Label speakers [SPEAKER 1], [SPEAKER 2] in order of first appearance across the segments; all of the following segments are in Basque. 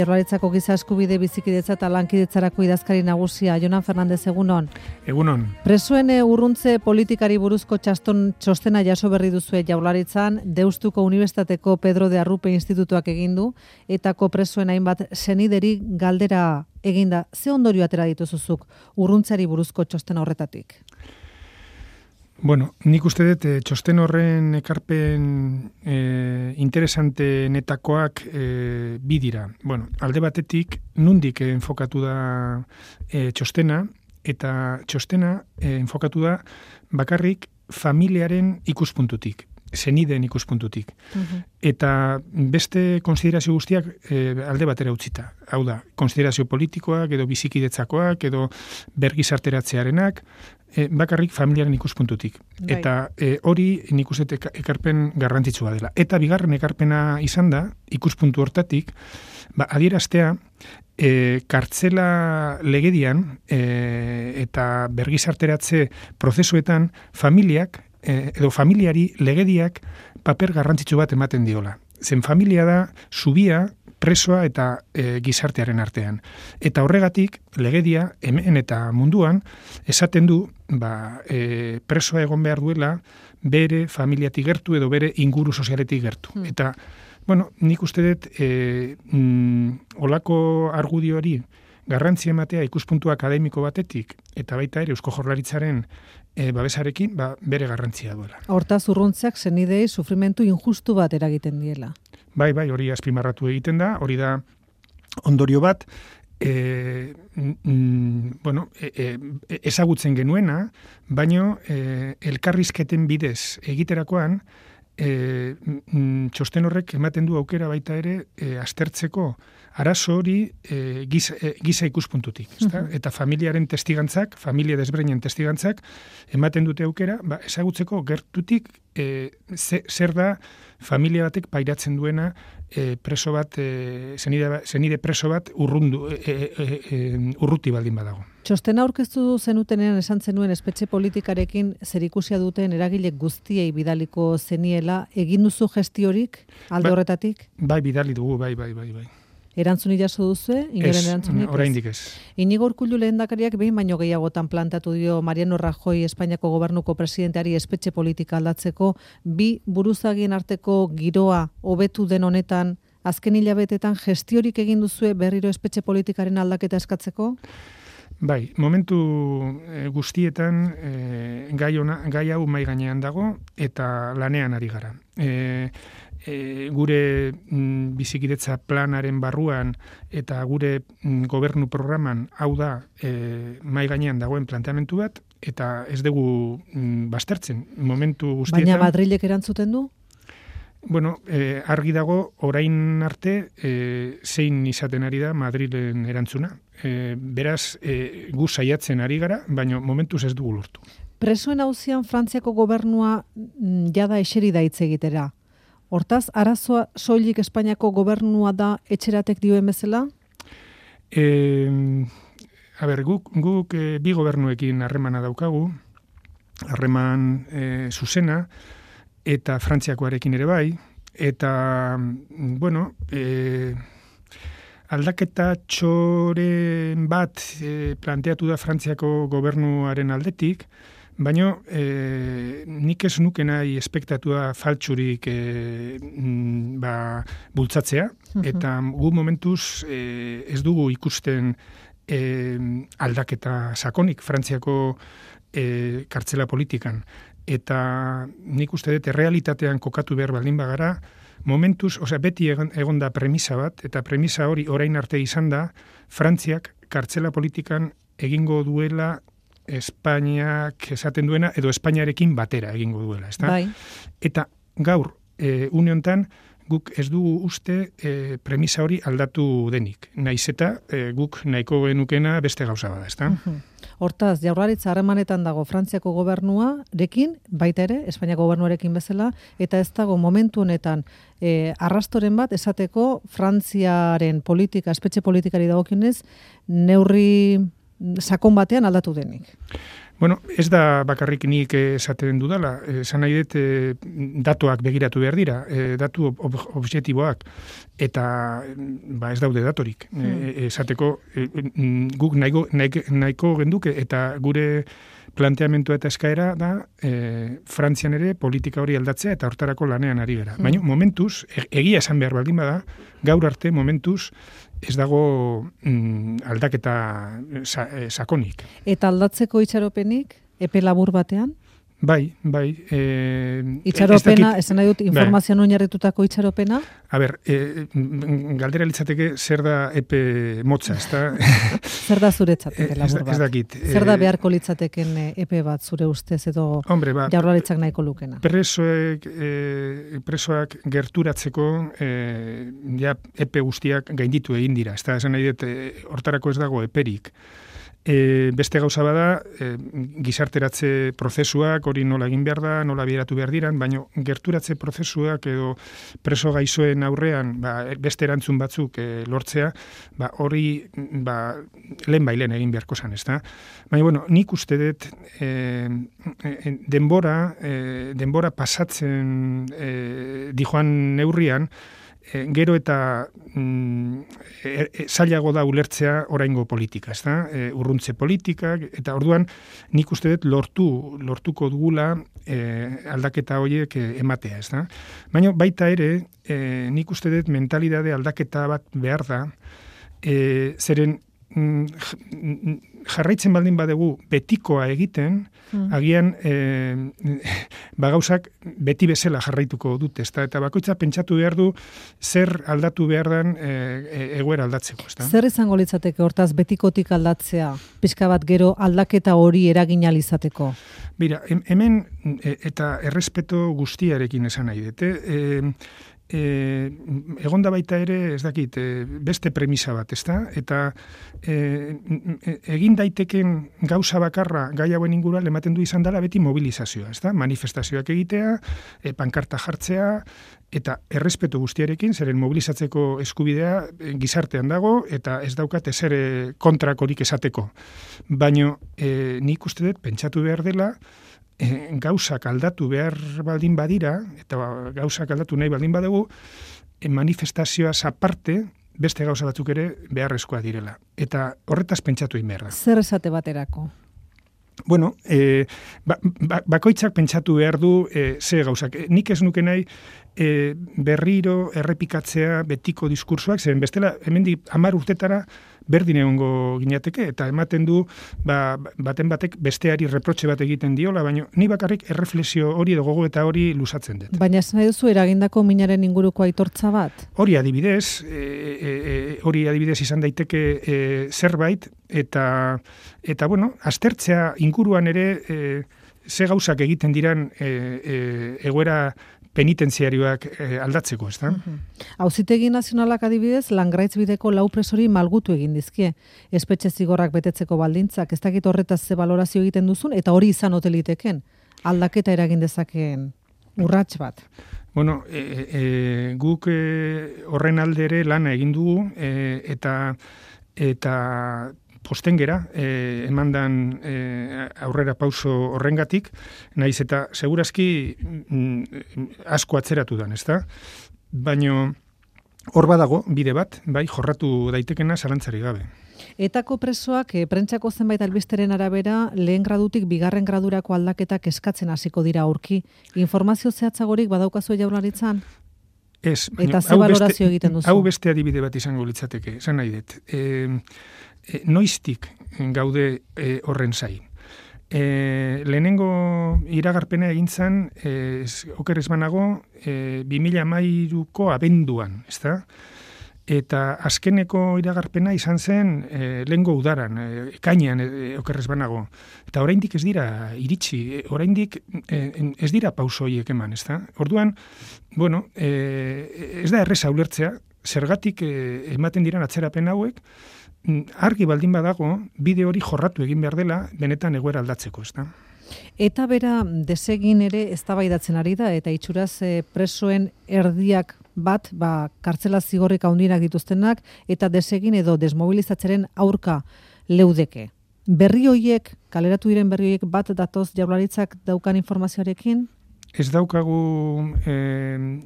[SPEAKER 1] Jaurlaritzako giza eskubide bizikidetza eta lankidetzarako idazkari nagusia Jonan Fernandez, egunon.
[SPEAKER 2] Egunon.
[SPEAKER 1] Presoen urruntze politikari buruzko txostena jaso berri duzue Jaurlaritzan, Deustuko Unibertsitateko Pedro de Arrupe Institutuak egindu, etako presoen hainbat senideri galdera eginda. Ze ondorio atera dituzuzuk urruntzari buruzko txosten horretatik?
[SPEAKER 2] Bueno, nik uste dut txosten horren ekarpen interesante netakoak bi dira. Bueno, alde batetik nundik enfokatu da txostena, eta txostena enfokatu da bakarrik familiaren ikuspuntutik, senideen ikuspuntutik. Eta beste konsiderazio guztiak alde batera utzita. Hau da, konsiderazio politikoak, edo bizikidetzakoak, edo bergizarteratzearenak, bakarrik familiaren ikuspuntutik.
[SPEAKER 1] Bai.
[SPEAKER 2] Eta hori nik uste ekarpen garrantzitsua dela. Eta bigarren ekarpena izan da, ikuspuntu hortatik, adieraztea, kartzela legedian eta bergizarteratze prozesuetan familiak, edo familiari legediak paper garrantzitsu bat ematen diola. Zen familia da zubia, presoa eta gizartearen artean. Eta horregatik, legedia, hemen eta munduan, esaten du, presoa egon behar duela, bere familiatik gertu edo bere inguru sozialetik gertu. Eta, bueno, nik uste dut, olako argudioari garrantzia ematea ikuspuntu akademiko batetik, eta baita ere Eusko Jaurlaritzaren babesarekin, bere garrantzia duela.
[SPEAKER 1] Hortaz urruntzeak senidei sufrimentu injustu bat eragiten diela.
[SPEAKER 2] Bai, hori azpimarratu egiten da, hori da ondorio bat, ezagutzen genuena, baino elkarrizketen bidez egiterakoan, txosten horrek ematen du aukera baita ere aztertzeko arazo hori giza ikuspuntutik. Eta familiaren testigantzak, familia desberdinen testigantzak, ematen dute aukera, ezagutzeko gertutik zer da familia batek pairatzen duena preso bat, senide preso bat urruti baldin badago.
[SPEAKER 1] Txostena aurkeztu zenutenean esan zenuen espetxe politikarekin zerikusia duten eragile guztiei bidaliko zeniela, egin duzu gestiorik alde horretatik?
[SPEAKER 2] Bai, bidali dugu, bai.
[SPEAKER 1] Erantzun jaso duzue, inoren erantzunik?
[SPEAKER 2] Ez, oraindik ez.
[SPEAKER 1] Inigo Urkullu lehendakariak behin baino gehiagotan plantatu dio Mariano Rajoy Espainiako gobernuko presidenteari espetxe politika aldatzeko, bi buruzagien arteko giroa hobetu den honetan, azken hilabetetan gestiorik egin duzue berriro espetxe politikaren aldaketa eskatzeko?
[SPEAKER 2] Bai, momentu guztietan gai hau mahai gainean dago eta lanean ari gara. Gure bizikidetza planaren barruan eta gure gobernu programan hau da mahai gainean dagoen planteamentu bat, eta ez dugu baztertzen momentu guztietan.
[SPEAKER 1] Baina Madrilek erantzuten du?
[SPEAKER 2] Bueno, argi dago orain arte zein izaten ari da Madrilen erantzuna. Beraz, gu saiatzen ari gara, baina momentuz ez dugu lortu.
[SPEAKER 1] Presoen auzian Frantziako gobernua jada eseri da hitz egitera. Hortaz, arazoa soilik Espainiako gobernua da etxeratek dioen bezala?
[SPEAKER 2] Guk bi gobernuekin harremana daukagu, harreman zuzena, eta Frantziakoarekin ere bai, eta, bueno, aldaketa txoren bat planteatu da Frantziako gobernuaren aldetik, baina nik ez nuke nahi espektatua faltsurik bultzatzea, eta gu momentuz ez dugu ikusten aldaketa sakonik Frantziako kartzela politikan. Eta nik uste dut realitatean kokatu behar baldin bagara, momentuz, beti egon da premisa bat, eta premisa hori orain arte izan da, Frantziak kartzela politikan egingo duela Espainiak esaten duena, edo Espainiarekin batera egingo duela, ezta?
[SPEAKER 1] Bai.
[SPEAKER 2] Eta gaur, une honetan, guk ez dugu uste premisa hori aldatu denik. Naiz eta guk nahiko genukena beste gauza bada, ezta?
[SPEAKER 1] Hortaz, Jaurlaritza harremanetan dago Frantziako gobernuarekin, baita ere, Espainiako gobernuarekin bezala, eta ez dago momentu honetan arrastoren bat esateko Frantziaren politika, espetxe politikari dagokionez, neurri sakon batean aldatu denik.
[SPEAKER 2] Bueno, ez da bakarrik nik esaten dudala, esan nahi dut datuak begiratu behar dira, datu objektiboak, eta ez daude datorik. Esateko, guk nahiko genduke, eta gure planteamentua eta eskaera da Frantzian ere politika hori aldatzea eta hortarako lanean ari gara. Baina momentuz, egia esan behar baldin bada, gaur arte momentuz ez dago aldaketa sakonik.
[SPEAKER 1] Eta aldatzeko itxaropenik, epe labur batean?
[SPEAKER 2] Bai.
[SPEAKER 1] Itxaropena, esan nahi dut, informazioan oinarritutako itxaropena?
[SPEAKER 2] A ber, galdera litzateke zer da epe motza, ez da?
[SPEAKER 1] Zer da zuretzateke labur bat?
[SPEAKER 2] Ez dakit.
[SPEAKER 1] Zer da beharko litzateken epe bat zure ustez edo Jaurlaritzak nahiko lukena?
[SPEAKER 2] Presoak gerturatzeko epe guztiak gainditu egin dira. Ez da, esan nahi dut, hortarako ez dago eperik. Beste gauza bada, gizarteratze prozesuak, hori nola egin behar da, nola bideratu behar diran, baina gerturatze prozesuak edo preso gaixoen aurrean beste erantzun batzuk lortzea, hori lehen egin beharko zan, ez da? Baina, nik uste dut denbora pasatzen dijoan neurrian, gero eta zailago da ulertzea oraingo politika, ez da? Urruntze politikak, eta orduan nik uste dut lortuko dugula aldaketa horiek ematea, ez da? Baina baita ere, nik uste dut mentalidade aldaketa bat behar da, zeren jarraitzen baldin badegu betikoa egiten, agian gauzak beti bezala jarraituko dute, eta bakoitza pentsatu behar du zer aldatu behar den egoera aldatzeko.
[SPEAKER 1] Zer izango litzateke hortaz betikotik aldatzea, pixka bat gero aldaketa hori eragin ahal izateko?
[SPEAKER 2] Mira, hemen eta errespeto guztiarekin esan nahi dute, egonda baita ere, ez dakit, beste premisa bat, ezta? Eta egin daiteken gauza bakarra gai hauen inguruan ematen du izan dela beti mobilizazioa, ezta? Manifestazioak egitea, pankarta jartzea, eta errespetu guztiarekin, zeren mobilizatzeko eskubidea gizartean dago, eta ez daukat ezer kontrakorik esateko. Baina nik uste dut pentsatu behar dela, gauzak aldatu behar baldin badira, eta gauzak aldatu nahi baldin badugu, manifestazioaz aparte, beste gauza batzuk ere beharrezkoa direla. Eta horretaz pentsatu egin behar da.
[SPEAKER 1] Zer esate baterako?
[SPEAKER 2] Bueno, bakoitzak pentsatu behar du ze gauzak. Nik ez nuke nahi berriro errepikatzea betiko diskursoak, zeren bestela hemendik 10 urtetara berdin egongo ginateke, eta ematen du baten batek besteari reprotxe bat egiten diola, baina ni bakarrik erreflexio hori edo gogoeta hori luzatzen dut.
[SPEAKER 1] Baina ez nahi duzu eragindako minaren inguruko aitortza bat?
[SPEAKER 2] Hori adibidez izan daiteke zerbait, eta bueno, aztertzea inguruan ere ze gauzak egiten diran egoera penitentziarioak aldatzeko, ez da?
[SPEAKER 1] Auzitegi Nazionalak adibidez, Langraitz bideko 4 presori malgutu egin dizkie. Espetxe zigorrak betetzeko baldintzak, ez dakit horretaz ze balorazio egiten duzun, eta hori izan ote liteken, aldaketa eragin dezakeen urrats bat.
[SPEAKER 2] Bueno, guk horren alde ere lana egin dugu, eta postengera, emandan aurrera pauso horrengatik, naiz eta segurazki asko atzeratu dan, ezta? Baina hor badago bide bat, bai, jorratu daitekena zalantzari gabe.
[SPEAKER 1] Etako presoak prentsako zenbait albisteren arabera lehen gradutik 2. gradurako aldaketak eskatzen hasiko dira aurki. Informazio zehatzagorik badaukazu Jaurlaritzan?
[SPEAKER 2] Ez,
[SPEAKER 1] eta ze balorazio egiten duzu?
[SPEAKER 2] Hau beste adibide bat izango litzateke, esan nahi dut. Noiztik gaude horren zai. Lehenengo iragarpena egin zen, oker ez banago, 2013ko abenduan, ezta? Eta azkeneko iragarpena izan zen lehengo udaran, ekainean oker ez banago. Eta oraindik ez dira iritsi, oraindik ez dira pauso horiek eman, ezta? Orduan, bueno, ez da erreza ulertzea, zergatik ematen diran atzerapen hauek, argi baldin badago, bide hori jorratu egin behar dela, benetan egoera aldatzeko, ezta?
[SPEAKER 1] Eta bera desegin ere eztabaidatzen ari da, eta itxuraz presoen erdiak bat, kartzela zigorrik handiak dituztenak, eta desegin edo desmobilizatzeren aurka leudeke. Berri hoiek, kaleratu diren berri hoiek bat datoz Jaurlaritzak daukan informazioarekin?
[SPEAKER 2] Ez daukagu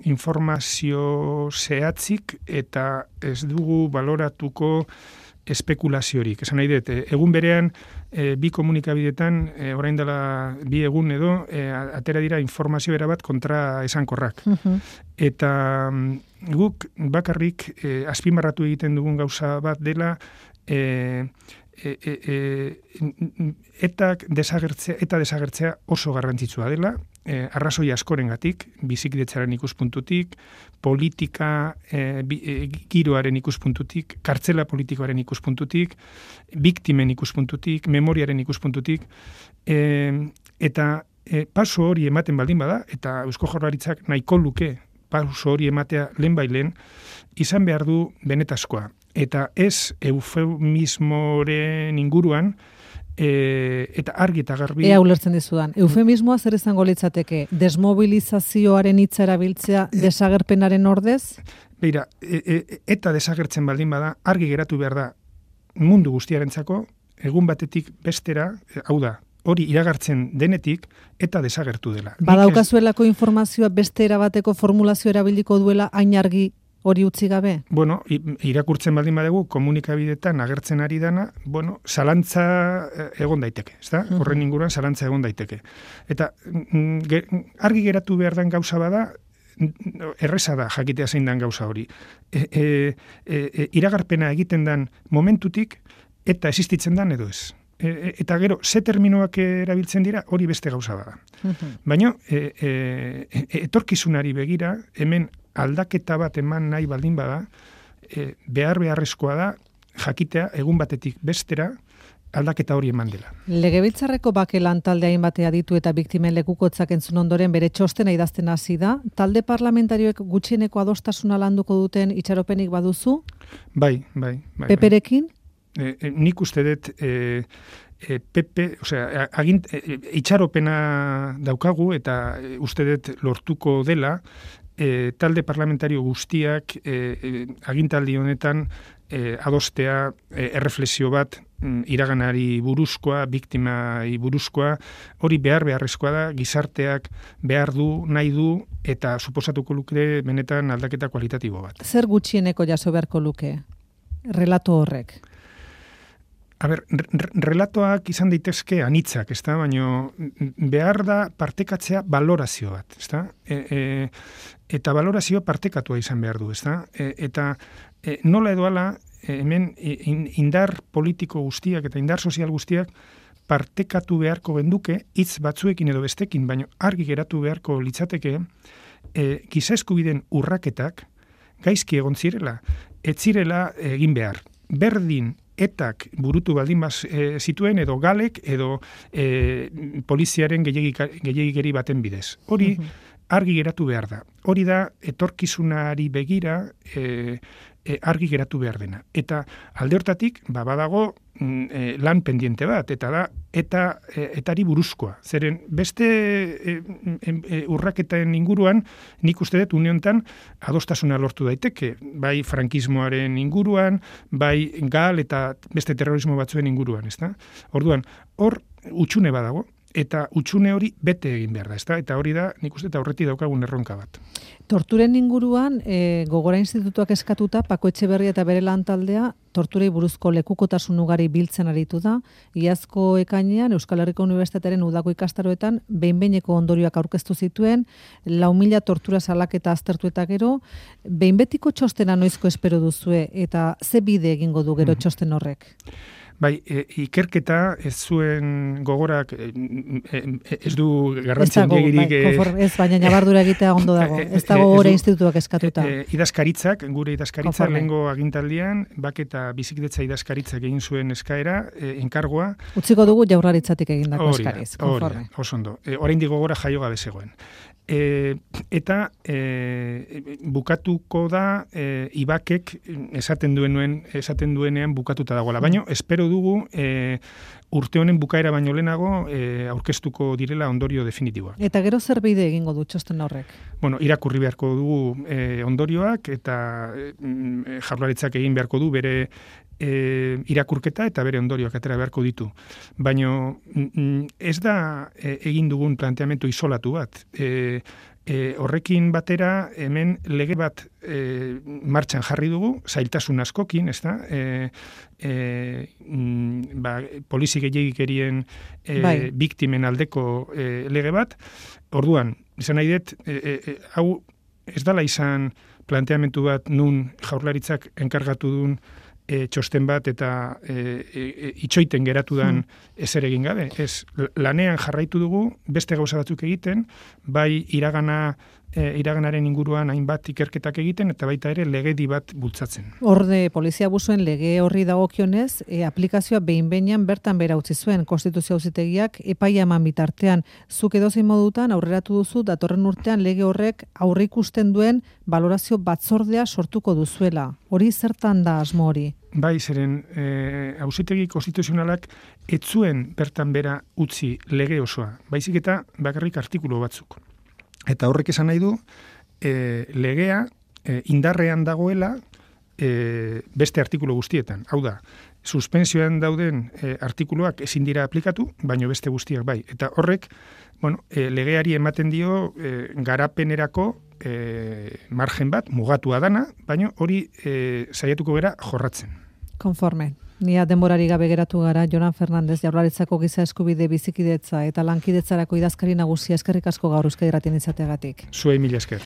[SPEAKER 2] informazio zehatzik eta ez dugu baloratuko espekulaziorik. Esan nahi dut, egun berean bi komunikabidetan, orain dela bi egun edo, atera dira informazio erabat kontra esankorrak. Eta guk bakarrik azpimarratu egiten dugun gauza bat dela eta desagertzea oso garrantzitsua dela, arrazoi askorengatik, bizikidetzaren ikuspuntutik, politika giroaren ikuspuntutik, kartzela politikoaren ikuspuntutik, biktimen ikuspuntutik, memoriaren ikuspuntutik, eta paso hori ematen baldin bada, eta Eusko Jaurlaritzak nahiko luke paso hori ematea lehenbailen, izan behar du benetazkoa. Eta ez eufemismoren inguruan, eta argi eta garbi...
[SPEAKER 1] Ea ulertzen dizudan. Eufemismoa zer izango litzateke? Desmobilizazioaren hitza erabiltzea desagerpenaren ordez?
[SPEAKER 2] Beira, eta desagertzen baldin bada, argi geratu behar da mundu guztiarentzako, egun batetik bestera, hau da, hori iragartzen denetik, eta desagertu dela.
[SPEAKER 1] Badaukazuelako informazioa beste erabateko formulazio erabiliko duela hain argi hori utzi gabe?
[SPEAKER 2] Bueno, irakurtzen baldin badegu, komunikabidetan agertzen ari dana, bueno, zalantza egon daiteke, ezta? Horren inguruan zalantza egon daiteke. Eta argi geratu behar den gauza bada, erreza da jakitea zein den gauza hori. Iragarpena egiten den momentutik, eta existitzen den edo ez. Eta gero, ze terminoak erabiltzen dira, hori beste gauza bada. Baina, etorkizunari begira, hemen aldaketa bat eman nahi baldin bada, beharrezkoa da, jakitea egun batetik bestera, aldaketa hori eman dela.
[SPEAKER 1] Legebiltzarreko bake lantaldea hainbatea ditu eta biktimen lekukotzak entzun ondoren bere txostena idazten hasi da. Talde parlamentarioek gutxieneko adostasuna landuko duten itxaropenik baduzu?
[SPEAKER 2] Bai.
[SPEAKER 1] Peperekin?
[SPEAKER 2] Nik uste dut PP, osea, itxaropena daukagu eta uste dut lortuko dela, talde parlamentario guztiak agintaldi honetan adostea erreflexio bat iraganari buruzkoa, biktimai buruzkoa, hori beharrezkoa da, gizarteak behar du, nahi du, eta suposatuko luke benetan aldaketa kualitatibo bat.
[SPEAKER 1] Zer gutxieneko jaso beharko luke? Relato horrek?
[SPEAKER 2] A ber, relatoak izan daitezke anitzak, ezta? Baina behar da partekatzea balorazio bat, ezta? Eta balorazio partekatua izan behar du, ezta? Eta nola edo ala, hemen indar politiko guztiak eta indar sozial guztiak partekatu beharko genduke hitz batzuekin edo bestekin, baina argi geratu beharko litzateke giza eskubideen urraketak gaizki egon zirela, ez zirela egin behar. Berdin etak burutu baldin zituen edo galek edo poliziaren gehiagikeri baten bidez. Hori argi geratu behar da. Hori da etorkizunari begira argi geratu behar dena. Eta alde hortatik, badago lan pendiente bat, eta da, etari buruzkoa. Zeren beste urraketen inguruan, nik uste dut uniontan adostasuna lortu daiteke, bai frankismoaren inguruan, bai gal eta beste terrorismo batzuen inguruan, ezta? Orduan, hor utxune badago, eta utxune hori bete egin behar da, ezta? Eta hori da, nik uste eta horretik daukagun erronka bat.
[SPEAKER 1] Torturen inguruan, Gogora Institutuak eskatuta, Pako Etxeberria eta bere lantaldea, torturei buruzko lekukotasun ugari biltzen aritu da. Iazko ekainean, Euskal Herriko Unibertsitatearen udako ikastaroetan, behin-behineko ondorioak aurkeztu zituen, 4.000 tortura salaketa aztertu eta gero, behin-betiko txostena noizko espero duzue, eta ze bide egingo du gero txosten horrek?
[SPEAKER 2] Bai, ikerketa ez zuen Gogorak ez du garrantzi handiegirik.
[SPEAKER 1] Ez, baina nabardura egitea ondo dago. Ez dago Gogora Institutuak eskatuta.
[SPEAKER 2] Idazkaritzak, gure idazkaritzak, lehengo agintaldian, eta bizikidetza idazkaritzak egin zuen eskaera, enkargoa.
[SPEAKER 1] Utziko dugu Jaurlaritzatik egindako eskariz, konforme.
[SPEAKER 2] Oso ondo. Oraindik Gogora jaio gabe zegoen. Eta bukatuko da Ibakek esaten duenean bukatuta dagoela. Baina espero dugu urte honen bukaera baino lehenago aurkeztuko direla ondorio definitiboak.
[SPEAKER 1] Eta gero zer bide egingo du txosten horrek?
[SPEAKER 2] Bueno, irakurri beharko dugu ondorioak eta Jaurlaritzak egin beharko du bere irakurketa eta bere ondorioak atera beharko ditu. Baina ez da egin dugun planteamendu isolatu bat. Horrekin batera hemen lege bat martxan jarri dugu, zailtasun askokin, ez da? Polizi gehiegikerien biktimen aldeko lege bat. Orduan, izan nahi dut, hau ez dala izan planteamendu bat nun Jaurlaritzak enkargatu duen txosten bat eta itxoiten geratu dan ezer egin gabe. Ez, lanean jarraitu dugu, beste gauza batzuk egiten, bai iraganaren inguruan hainbat ikerketak egiten, eta baita ere legedi bat bultzatzen.
[SPEAKER 1] Horde, polizia abusuen lege horri dagokionez, aplikazioa behin-behinan bertan bera utzi zuen Konstituzio Auzitegiak epaia eman bitartean. Zuk edozein modutan aurreratu duzu datorren urtean lege horrek aurreikusten duen balorazio batzordea sortuko duzuela. Hori zertan da asmo hori?
[SPEAKER 2] Bai, zeren Auzitegi Konstituzionalak ez zuen bertan bera utzi lege osoa, baizik eta bakarrik artikulu batzuk. Eta horrek esan nahi du, legea indarrean dagoela beste artikulu guztietan. Hau da, suspensioan dauden artikuluak ezin dira aplikatu, baino beste guztiak bai. Eta horrek, legeari ematen dio garapenerako margen bat, mugatua dana, baino hori saiatuko gera jorratzen.
[SPEAKER 1] Konforme. Nia denborari gabe geratu gara, Jonan Fernandez, Jaurlaritzako giza eskubide bizikidetza eta lankidetzarako idazkari nagusia, eskerrik asko gaur Euskadi Irratian izateagatik.
[SPEAKER 2] Zuei mila esker.